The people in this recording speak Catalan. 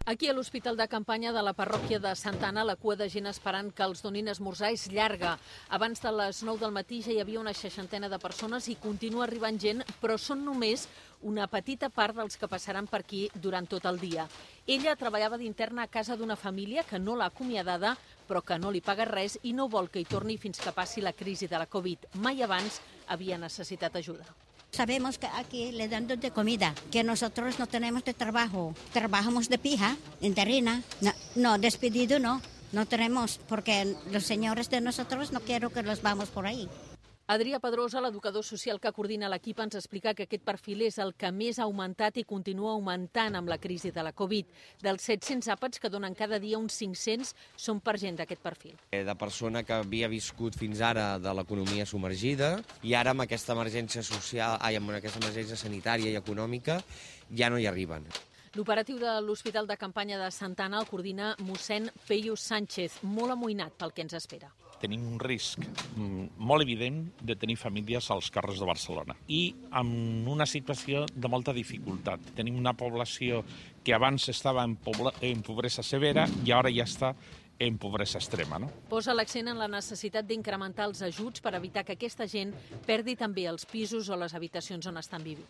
Aquí a l'Hospital de Campanya de la parròquia de Santa Anna, la cua de gent esperant que els donin esmorzar és llarga. Abans de les 9 del matí ja hi havia una 60 de persones i continua arribant gent, però són només una petita part dels que passaran per aquí durant tot el dia. Ella treballava d'interna a casa d'una família que no l'ha acomiadada, però que no li paga res i no vol que hi torni fins que passi la crisi de la Covid. Mai abans havia necessitat ajuda. Sabemos que aquí le dan de comida, que nosotros no tenemos de trabajo. Trabajamos de pija, interina. No, despedido no tenemos, porque los señores de nosotros no quiero que los vamos por ahí. Adrià Pedrosa, l'educador social que coordina l'equip, ens explica que aquest perfil és el que més ha augmentat i continua augmentant amb la crisi de la Covid. Dels 700 àpats que donen cada dia, uns 500 són per gent d'aquest perfil. De persona que havia viscut fins ara de l'economia submergida i ara amb aquesta emergència social, amb aquesta emergència sanitària i econòmica ja no hi arriben. L'operatiu de l'Hospital de Campanya de Santa Anna el coordina mossèn Peyu Sánchez, molt amoïnat pel que ens espera. Tenim un risc molt evident de tenir famílies als carrers de Barcelona i amb una situació de molta dificultat. Tenim una població que abans estava en pobresa severa i ara ja està en pobresa extrema. Posa l'accent en la necessitat d'incrementar els ajuts per evitar que aquesta gent perdi també els pisos o les habitacions on estan vivint.